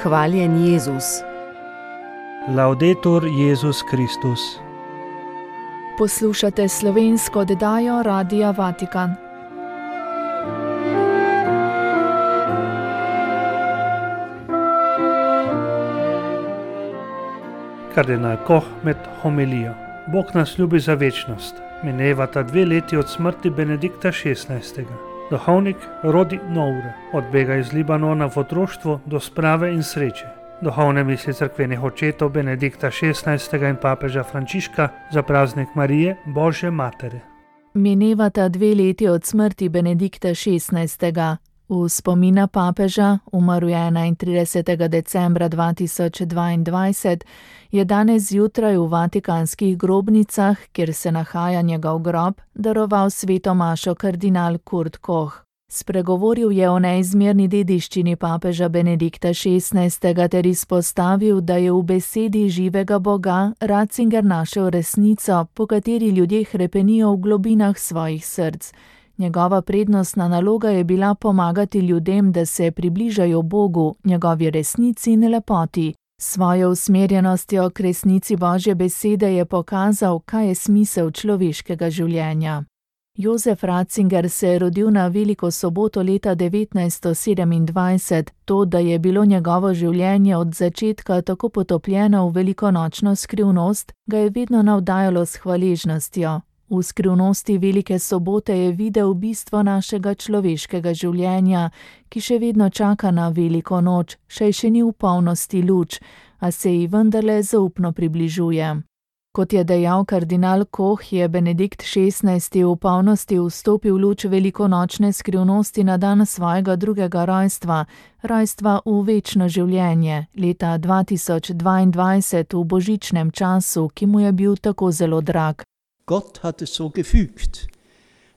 Hvaljen Jezus. Laudetur Jezus Kristus. Poslušate slovensko oddajo Radia Vatikan. Kardinal Koh med homilijo. Bog nas ljubi za večnost. Minevata 2 leti od smrti Benedikta XVI. Duhovnik Rodi Noure odbega iz Libanona v otroštvu do sprave in sreče. Duhovne misli cerkvenih očetov Benedikta XVI. In papeža Frančiška za praznik Marije, Božje matere. Minevata 2 leti od smrti Benedikta XVI. V spomin na papeža, umrl je 31. decembra 2022, je danes zjutraj v vatikanskih grobnicah, kjer se nahaja njegov grob, daroval sveto mašo kardinal Kurt Koh. Spregovoril je o neizmerni dediščini papeža Benedikta XVI. Ter izpostavil, da je v besedi živega Boga Ratzinger našel resnico, po kateri ljudje hrepenijo v globinah svojih src. Njegova prednostna naloga je bila pomagati ljudem, da se približajo Bogu, njegovi resnici in lepoti. Svojo usmerjenostjo k resnici Božje besede je pokazal, kaj je smisel človeškega življenja. Jozef Ratzinger se je rodil na veliko soboto leta 1927. To, da je bilo njegovo življenje od začetka tako potopljeno v velikonočno skrivnost, ga je vedno navdajalo s hvaležnostjo. V skrivnosti velike sobote je videl bistvo našega človeškega življenja, ki še vedno čaka na veliko noč, še ni v polnosti luč, a se ji vendarle zaupno približuje. Kot je dejal kardinal Koh, je Benedikt XVI. V polnosti vstopil v luč velikonočne skrivnosti na dan svojega 2. rojstva, rojstva v večno življenje, leta 2022 v božičnem času, ki mu je bil tako zelo drag. Gott hat es so gefügt,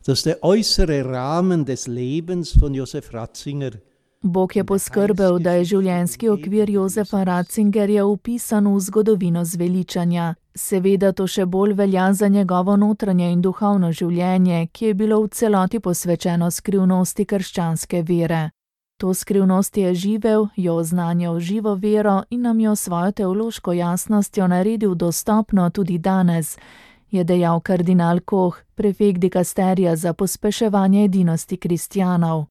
dass der äußere Rahmen des Lebens von Josef Ratzinger Bog je poskrbel, da je življenjski okvir Jozefa Ratzingerja vpisan v zgodovino zveličanja. Seveda to še bolj velja za njegovo notranje in duhovno življenje, ki je bilo v celoti posvečeno skrivnosti krščanske vere. To skrivnost je živel, jo oznanjal živo vero in nam jo svojo teološko jasnostjo naredil dostopno tudi danes, je dejal kardinal Koh, prefekt dikasterija za pospeševanje edinosti kristjanov.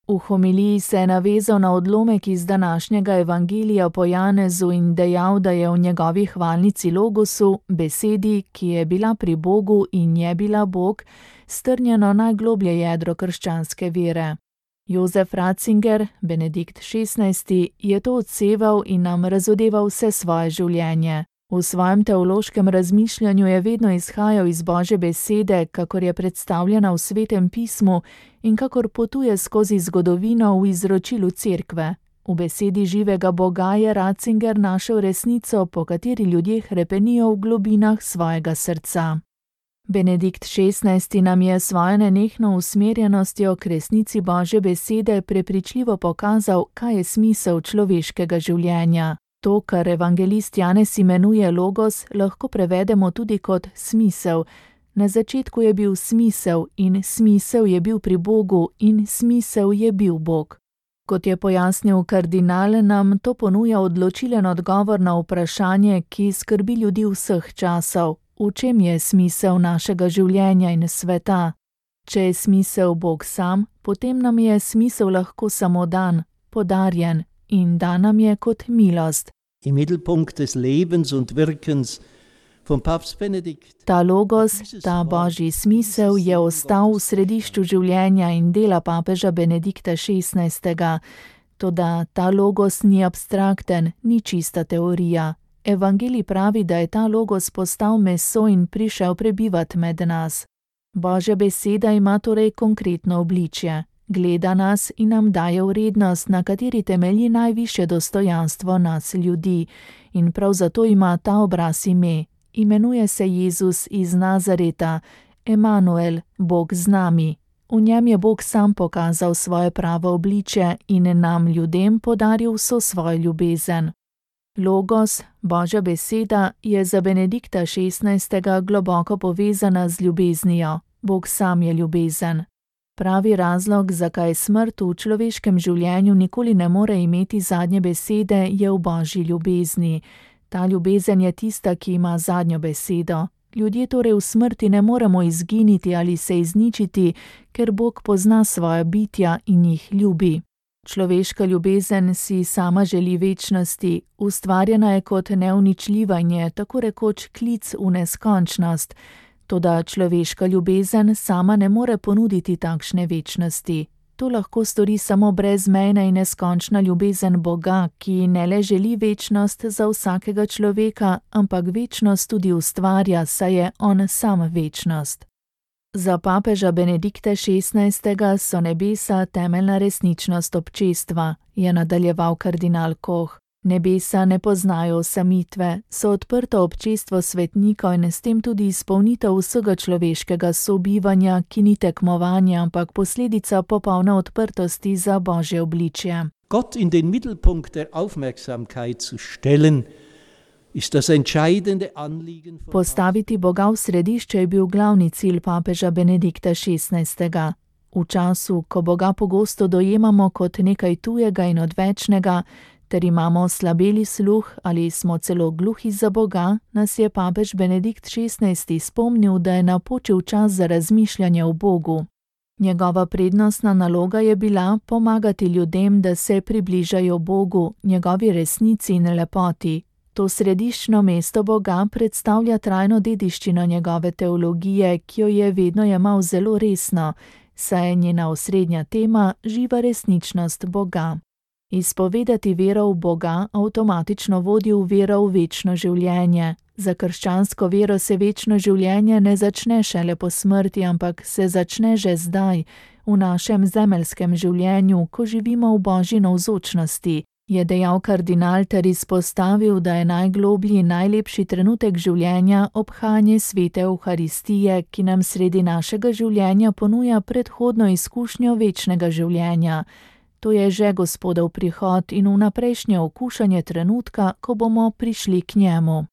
V homiliji se je navezal na odlomek iz današnjega evangelija po Janezu in dejal, da je v njegovi hvalnici Logosu, besedi, ki je bila pri Bogu in je bila Bog, strnjeno najgloblje jedro krščanske vere. Jozef Ratzinger, Benedikt XVI., je to odseval in nam razodeval vse svoje življenje. V svojem teološkem razmišljanju je vedno izhajal iz Božje besede, kakor je predstavljena v Svetem pismu in kakor potuje skozi zgodovino v izročilu cerkve. V besedi živega Boga je Ratzinger našel resnico, po kateri ljudje hrepenijo v globinah svojega srca. Benedikt XVI. Nam je svojo nenehno usmerjenostjo k resnici Božje besede prepričljivo pokazal, kaj je smisel človeškega življenja. To, kar evangelist Janez imenuje logos, lahko prevedemo tudi kot smisel. Na začetku je bil smisel in smisel je bil pri Bogu in smisel je bil Bog. Kot je pojasnil kardinal, nam to ponuja odločilen odgovor na vprašanje, ki skrbi ljudi vseh časov. V čem je smisel našega življenja in sveta? Če je smisel Bog sam, potem nam je smisel lahko samo dan, podarjen. In da nam je kot milost. Im Mittelpunkt des Lebens und Wirkens von Papst Benedikt. Ta logos, ta božji smisel je ostal v središču življenja in dela papeža Benedikta XVI. Toda ta logos ni abstrakten, ni čista teorija. Evangelij pravi, da je ta logos postal meso in prišel prebivat med nas. Božja beseda ima torej konkretno obličje. Gleda nas in nam daje vrednost, na kateri temelji najvišje dostojanstvo nas ljudi. In prav zato ima ta obraz ime. Imenuje se Jezus iz Nazareta, Emanuel, Bog z nami. V njem je Bog sam pokazal svoje pravo obličje in nam ljudem podaril vso svojo ljubezen. Logos, Božja beseda, je za Benedikta XVI. Globoko povezana z ljubeznijo. Bog sam je ljubezen. Pravi razlog, zakaj smrt v človeškem življenju nikoli ne more imeti zadnje besede, je v Božji ljubezni. Ta ljubezen je tista, ki ima zadnjo besedo. Ljudje torej v smrti ne moremo izginiti ali se izničiti, ker Bog pozna svoja bitja in jih ljubi. Človeška ljubezen si sama želi večnosti, ustvarjena je kot neuničljiva in je tako rekoč klic v neskončnost. Toda človeška ljubezen sama ne more ponuditi takšne večnosti. To lahko stori samo brezmejna in neskončna ljubezen Boga, ki ne le želi večnost za vsakega človeka, ampak večnost tudi ustvarja, saj je on sam večnost. Za papeža Benedikta XVI. So nebesa temeljna resničnost občestva, je nadaljeval kardinal Koch. Nebesa ne poznajo osamitve, so odprto občestvo svetnikov in s tem tudi izpolnitev vsega človeškega sobivanja, ki ni tekmovanje, ampak posledica popolne odprtosti za Božje obličje. Gott in den Mittelpunkt der Aufmerksamkeit zu stellen, ist das entscheidende Anliegen. Postaviti Boga v središče je bil glavni cilj papeža Benedikta XVI. V času, ko Boga pogosto dojemamo kot nekaj tujega in odvečnega, ter imamo slabeli sluh ali smo celo gluhi za Boga, nas je papež Benedikt XVI. Spomnil, da je napočil čas za razmišljanje o Bogu. Njegova prednostna naloga je bila pomagati ljudem, da se približajo Bogu, njegovi resnici in lepoti. To središčno mesto Boga predstavlja trajno dediščino njegove teologije, ki jo je vedno jemal zelo resno, saj je njena osrednja tema živa resničnost Boga. Izpovedati vero v Boga avtomatično vodi v vero v večno življenje. Za krščansko vero se večno življenje ne začne šele po smrti, ampak se začne že zdaj, v našem zemeljskem življenju, ko živimo v Božji navzočnosti, je dejal kardinal ter izpostavil, da je najgloblji in najlepši trenutek življenja obhajanje svete Evharistije, ki nam sredi našega življenja ponuja predhodno izkušnjo večnega življenja. To je že Gospodov prihod in vnaprejšnje okušanje trenutka, ko bomo prišli k njemu.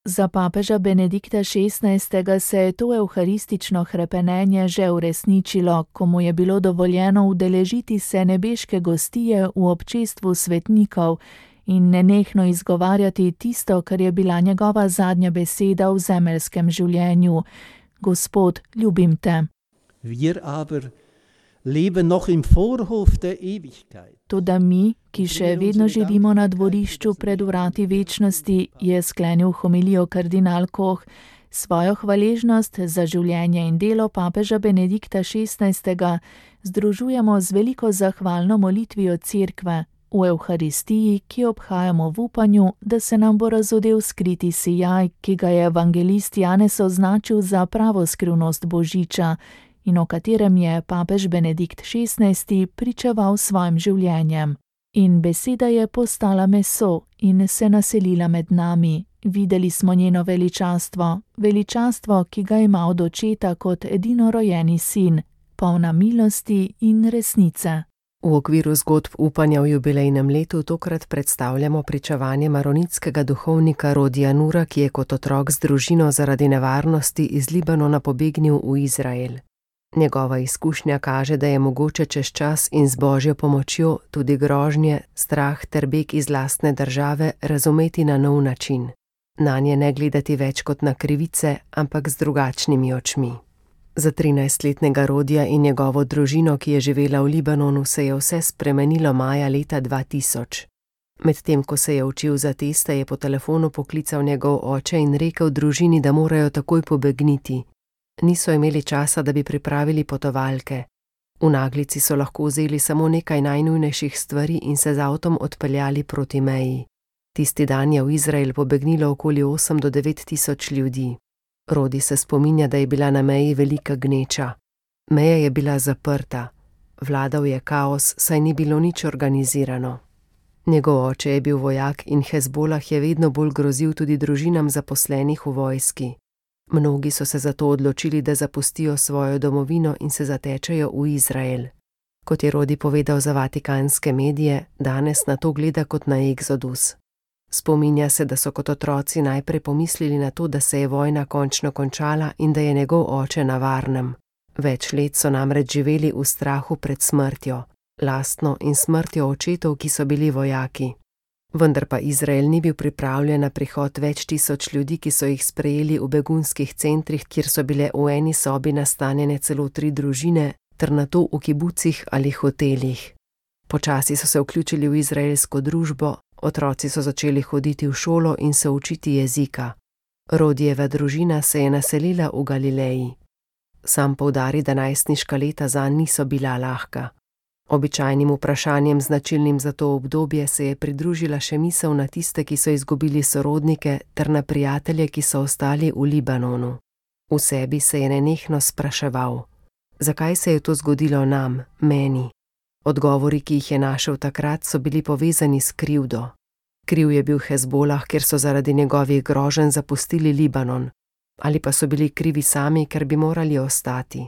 Za papeža Benedikta XVI. Se je to evharistično hrepenenje že uresničilo, ko mu je bilo dovoljeno udeležiti se nebeške gostije v občestvu svetnikov in nenehno izgovarjati tisto, kar je bila njegova zadnja beseda v zemeljskem življenju. Gospod, ljubim te. Wir aber leben noch im Vorhof der Ewigkeit. Toda mi, ki še vedno živimo na dvorišču pred vrati večnosti, je sklenil homilijo kardinal Koch, svojo hvaležnost za življenje in delo papeža Benedikta XVI. Združujemo z veliko zahvalno molitvijo Cerkve v Evharistiji, ki obhajamo v upanju, da se nam bo razodel skriti sijaj, ki ga je evangelist Janez označil za pravo skrivnost Božiča, in o katerem je papež Benedikt XVI. Pričeval svojim življenjem. In beseda je postala meso in se naselila med nami. Videli smo njeno veličastvo, veličastvo, ki ga ima od očeta kot edinorojeni sin, polna milosti in resnice. V okviru zgodb upanja v jubilejnem letu tokrat predstavljamo pričevanje maronitskega duhovnika Rodija Nura, ki je kot otrok z družino zaradi nevarnosti iz Libanona pobegnil v Izrael. Njegova izkušnja kaže, da je mogoče čez čas in z Božjo pomočjo tudi grožnje, strah ter beg iz lastne države razumeti na nov način. Nanje ne gledati več kot na krivice, ampak z drugačnimi očmi. Za 13-letnega Rodija in njegovo družino, ki je živela v Libanonu, se je vse spremenilo maja leta 2000. Medtem ko se je učil za teste, je po telefonu poklical njegov oče in rekel družini, da morajo takoj pobegniti. Niso imeli časa, da bi pripravili potovalke. V naglici so lahko vzeli samo nekaj najnujnejših stvari in se z avtom odpeljali proti meji. Tisti dan je v Izrael pobegnilo okoli 8 do 9 tisoč ljudi. Rodi se spominja, da je bila na meji velika gneča. Meja je bila zaprta. Vladal je kaos, saj ni bilo nič organizirano. Njegov oče je bil vojak in Hezbolah je vedno bolj grozil tudi družinam zaposlenih v vojski. Mnogi so se zato odločili, da zapustijo svojo domovino in se zatečejo v Izrael. Kot je Rodi povedal za vatikanske medije, danes na to gleda kot na eksodus. Spominja se, da so kot otroci najprej pomislili na to, da se je vojna končno končala in da je njegov oče na varnem. Več let so namreč živeli v strahu pred smrtjo, lastno in smrtjo očetov, ki so bili vojaki. Vendar pa Izrael ni bil pripravljen na prihod več tisoč ljudi, ki so jih sprejeli v begunskih centrih, kjer so bile v eni sobi nastanjene celo 3 družine, ter nato v kibucih ali hotelih. Počasi so se vključili v izraelsko družbo, otroci so začeli hoditi v šolo in se učiti jezika. Rodijeva družina se je naselila v Galileji. Sam poudari, da najstniška leta zanj niso bila lahka. Običajnim vprašanjem, značilnim za to obdobje, se je pridružila še misel na tiste, ki so izgubili sorodnike, ter na prijatelje, ki so ostali v Libanonu. V sebi se je nenehno spraševal: zakaj se je to zgodilo nam, meni? Odgovori, ki jih je našel takrat, so bili povezani s krivdo. Kriv je bil Hezbolah, ker so zaradi njegovih groženj zapustili Libanon, ali pa so bili krivi sami, ker bi morali ostati.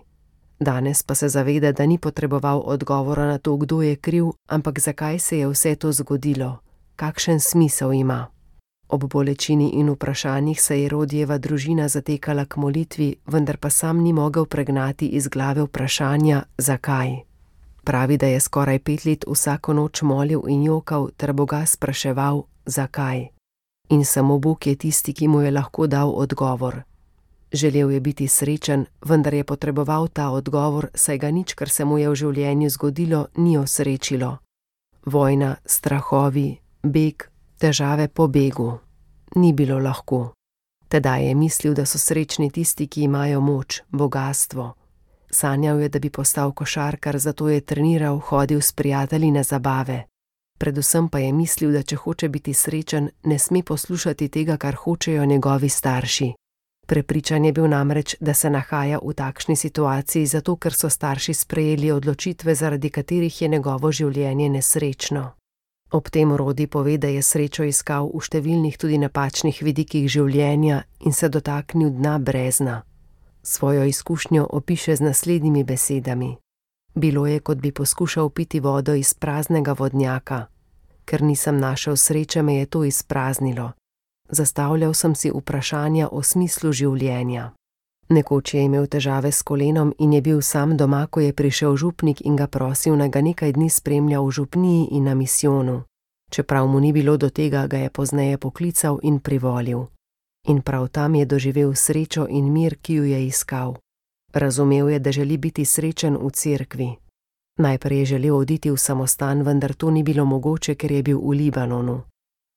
Danes pa se zaveda, da ni potreboval odgovora na to, kdo je kriv, ampak zakaj se je vse to zgodilo, kakšen smisel ima. Ob bolečini in vprašanjih se je Rodijeva družina zatekala k molitvi, vendar pa sam ni mogel pregnati iz glave vprašanja, zakaj. Pravi, da je skoraj 5 let vsako noč molil in jokal ter Boga spraševal, zakaj. In samo Bog je tisti, ki mu je lahko dal odgovor. Želel je biti srečen, vendar je potreboval ta odgovor, saj ga nič, kar se mu je v življenju zgodilo, ni osrečilo. Vojna, strahovi, beg, težave po begu. Ni bilo lahko. Tedaj je mislil, da so srečni tisti, ki imajo moč, bogastvo. Sanjal je, da bi postal košarkar, zato je treniral, hodil s prijatelji na zabave. Predvsem pa je mislil, da če hoče biti srečen, ne sme poslušati tega, kar hočejo njegovi starši. Prepričan je bil namreč, da se nahaja v takšni situaciji zato, ker so starši sprejeli odločitve, zaradi katerih je njegovo življenje nesrečno. Ob tem Rodi pove, da je srečo iskal v številnih tudi napačnih vidikih življenja in se dotaknil dna brezna. Svojo izkušnjo opiše z naslednjimi besedami. Bilo je, kot bi poskušal piti vodo iz praznega vodnjaka. Ker nisem našel sreče, me je to izpraznilo. Zastavljal sem si vprašanja o smislu življenja. Nekoč je imel težave s kolenom in je bil sam doma, ko je prišel župnik in ga prosil, naj ga nekaj dni spremlja v župniji in na misijonu. Čeprav mu ni bilo do tega, ga je pozneje poklical in privolil. In prav tam je doživel srečo in mir, ki ju je iskal. Razumel je, da želi biti srečen v cerkvi. Najprej je želel oditi v samostan, vendar to ni bilo mogoče, ker je bil v Libanonu.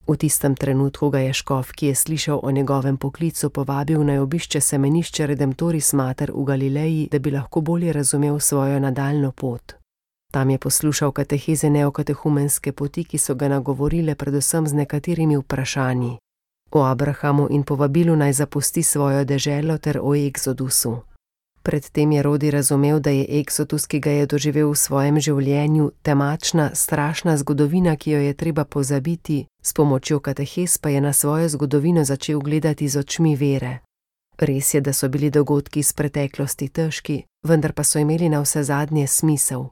V tistem trenutku ga je škof, ki je slišal o njegovem poklicu, povabil naj obišče semenišče Redemptoris Mater v Galileji, da bi lahko bolje razumel svojo nadaljnjo pot. Tam je poslušal kateheze neokatehumenske poti, ki so ga nagovorile predvsem z nekaterimi vprašanji. O Abrahamu in povabilu naj zapusti svojo deželo ter o Eksodusu. Predtem je Rodi razumel, da je Eksodus, ki ga je doživel v svojem življenju, temačna, strašna zgodovina, ki jo je treba pozabiti, s pomočjo katehez pa je na svojo zgodovino začel gledati z očmi vere. Res je, da so bili dogodki iz preteklosti težki, vendar pa so imeli na vse zadnje smisel.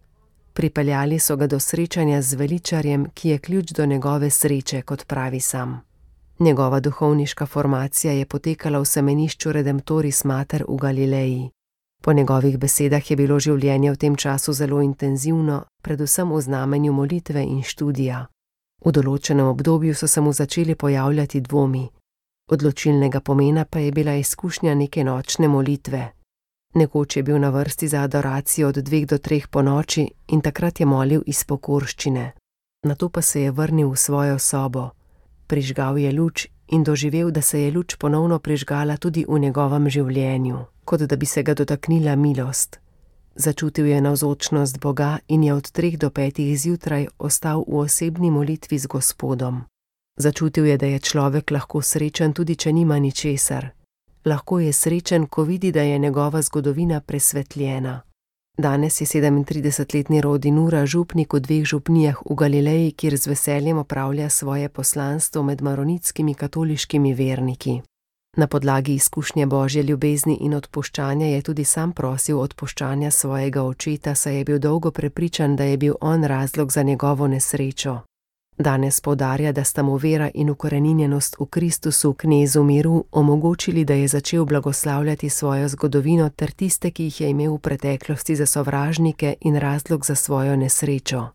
Pripeljali so ga do srečanja z veličarjem, ki je ključ do njegove sreče, kot pravi sam. Njegova duhovniška formacija je potekala v semenišču Redemptoris Mater v Galileji. Po njegovih besedah je bilo življenje v tem času zelo intenzivno, predvsem v znamenju molitve in študija. V določenem obdobju so se mu začeli pojavljati dvomi. Odločilnega pomena pa je bila izkušnja neke nočne molitve. Nekoč je bil na vrsti za adoracijo od 2 do 3 ponoči in takrat je molil iz pokorščine. Nato pa se je vrnil v svojo sobo. Prižgal je luč in doživel, da se je luč ponovno prižgala tudi v njegovem življenju, kot da bi se ga dotaknila milost. Začutil je navzočnost Boga in je od 3 do 5 zjutraj ostal v osebni molitvi z Gospodom. Začutil je, da je človek lahko srečen tudi, če nima ničesar. Lahko je srečen, ko vidi, da je njegova zgodovina presvetljena. Danes je 37-letni Rodi Nura župnik v 2 župnijah v Galileji, kjer z veseljem opravlja svoje poslanstvo med maronitskimi katoliškimi verniki. Na podlagi izkušnje Božje ljubezni in odpuščanja je tudi sam prosil odpuščanja svojega očeta, saj je bil dolgo prepričan, da je bil on razlog za njegovo nesrečo. Danes poudarja, da sta mu vera in ukoreninjenost v Kristusu, knezu miru, omogočili, da je začel blagoslavljati svojo zgodovino ter tiste, ki jih je imel v preteklosti za sovražnike in razlog za svojo nesrečo.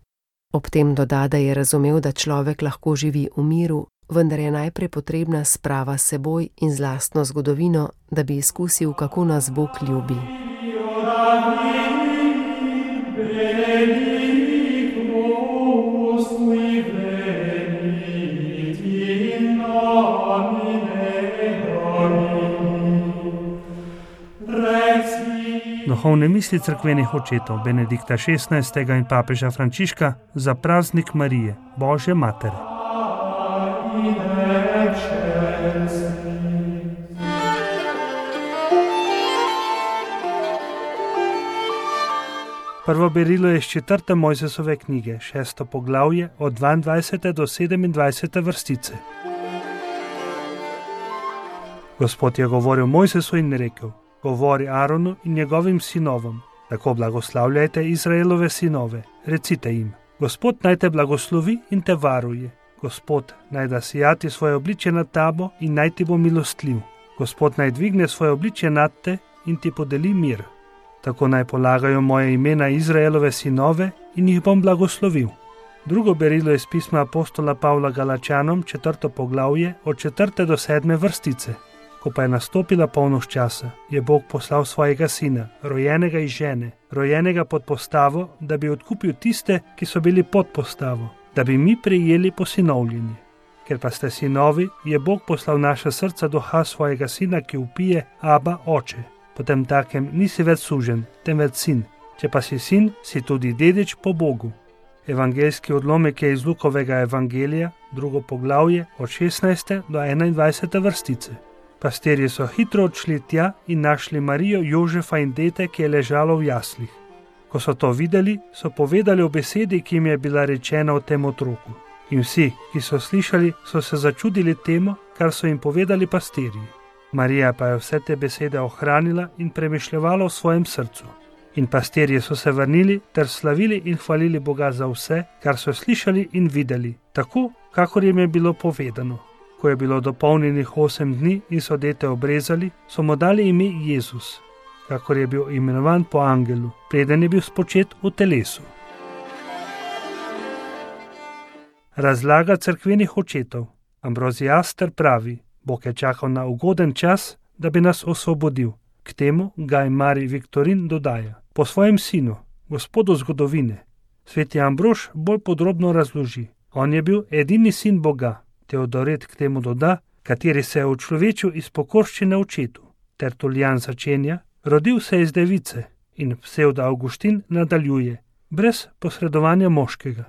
Ob tem doda, da je razumel, da človek lahko živi v miru, vendar je najprej potrebna sprava s seboj in z lastno zgodovino, da bi izkusil, kako nas Bog ljubi. Duhovne misli cerkvenih očetov Benedikta XVI. In papeža Frančiška za praznik Marije, Božje matere. Prvo berilo je iz 4. Mojzesove knjige, 6. poglavje, od 22. do 27. vrstice. Gospod je govoril Mojzesu in rekel: Govori Aronu in njegovim sinovom, tako blagoslavljajte Izraelove sinove, recite jim: Gospod naj te blagoslovi in te varuje. Gospod naj da sijati svoje obličje nad tabo in naj ti bo milostljiv. Gospod naj dvigne svoje obličje nad te in ti podeli mir. Tako naj polagajo moje imena Izraelove sinove in jih bom blagoslovil. Drugo berilo je iz pisma apostola Pavla Galačanom, 4. poglavje, od 4. do 7. vrstice. Ko pa je nastopila polnoč časa, je Bog poslal svojega sina, rojenega iz žene, rojenega pod postavo, da bi odkupil tiste, ki so bili pod postavo, da bi mi prejeli posinovljenje. Ker pa ste sinovi, je Bog poslal naša srca duha svojega sina, ki vpije: Aba, oče. Potem takem nisi več suženj, temveč sin. Če pa si sin, si tudi dedič po Bogu. Evangeljski odlomek je iz Lukovega evangelija, 2. poglavje, od 16. do 21. vrstice. Pastirji so hitro odšli tja in našli Marijo, Jožefa in dete, ki je ležalo v jaslih. Ko so to videli, so povedali o besedi, ki jim je bila rečena o tem otroku. In vsi, ki so slišali, so se začudili temu, kar so jim povedali pastirji. Marija pa je vse te besede ohranila in premišljevala v svojem srcu. In pastirji so se vrnili ter slavili in hvalili Boga za vse, kar so slišali in videli, tako, kakor jim je bilo povedano. Ko je bilo dopolnjenih 8 dni in so dete obrezali, so mu dali ime Jezus, kakor je bil imenovan po angelu, preden je bil spočet v telesu. Razlaga cerkvenih očetov. Ambroziaster pravi: Bog je čakal na ugoden čas, da bi nas osvobodil. K temu Gaj Mari Viktorin dodaja: po svojem sinu, gospodu zgodovine. Sveti Ambrož bolj podrobno razloži: on je bil edini sin Boga. Teodoret k temu doda, kateri se je učlovečil iz pokorščine očetu. Tertulijan začenja: rodil se iz device, in Psevdo Avguštin nadaljuje: brez posredovanja moškega.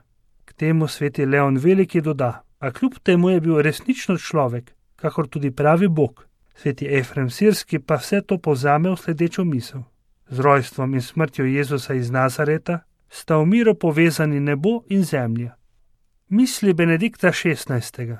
K temu sveti Leon Veliki doda: a kljub temu je bil resnično človek, kakor tudi pravi Bog. Sveti Efrem Sirski pa vse to povzame v sledečo misel: z rojstvom in smrtjo Jezusa iz Nazareta sta v miru povezani nebo in zemlja. Misli Benedikta XVI.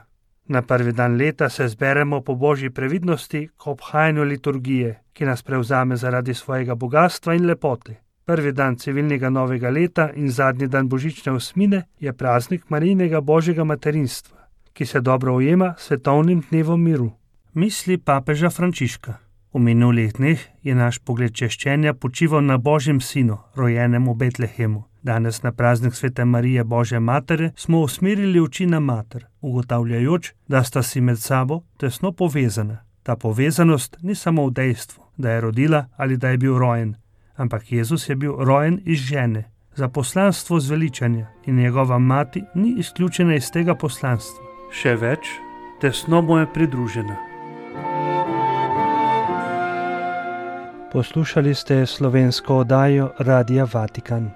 Na prvi dan leta se zberemo po božji previdnosti k obhajanju liturgije, ki nas prevzame zaradi svojega bogatstva in lepote. Prvi dan civilnega novega leta in zadnji dan božične osmine je praznik Marijinega božjega materinstva, ki se dobro ujema s svetovnim dnevom miru. Misli papeža Frančiška. V minulih dneh je naš pogled češčenja počival na Božjem sinu, rojenem v Betlehemu. Danes na praznik Svete Marije Božje matere smo usmerili oči na mater, ugotavljajoč, da sta si med sabo tesno povezana. Ta povezanost ni samo v dejstvu, da je rodila ali da je bil rojen, ampak Jezus je bil rojen iz žene, za poslanstvo zveličanja, in njegova mati ni izključena iz tega poslanstva. Še več, tesno mu je pridružena. Poslušali ste slovensko oddajo Radia Vatikan.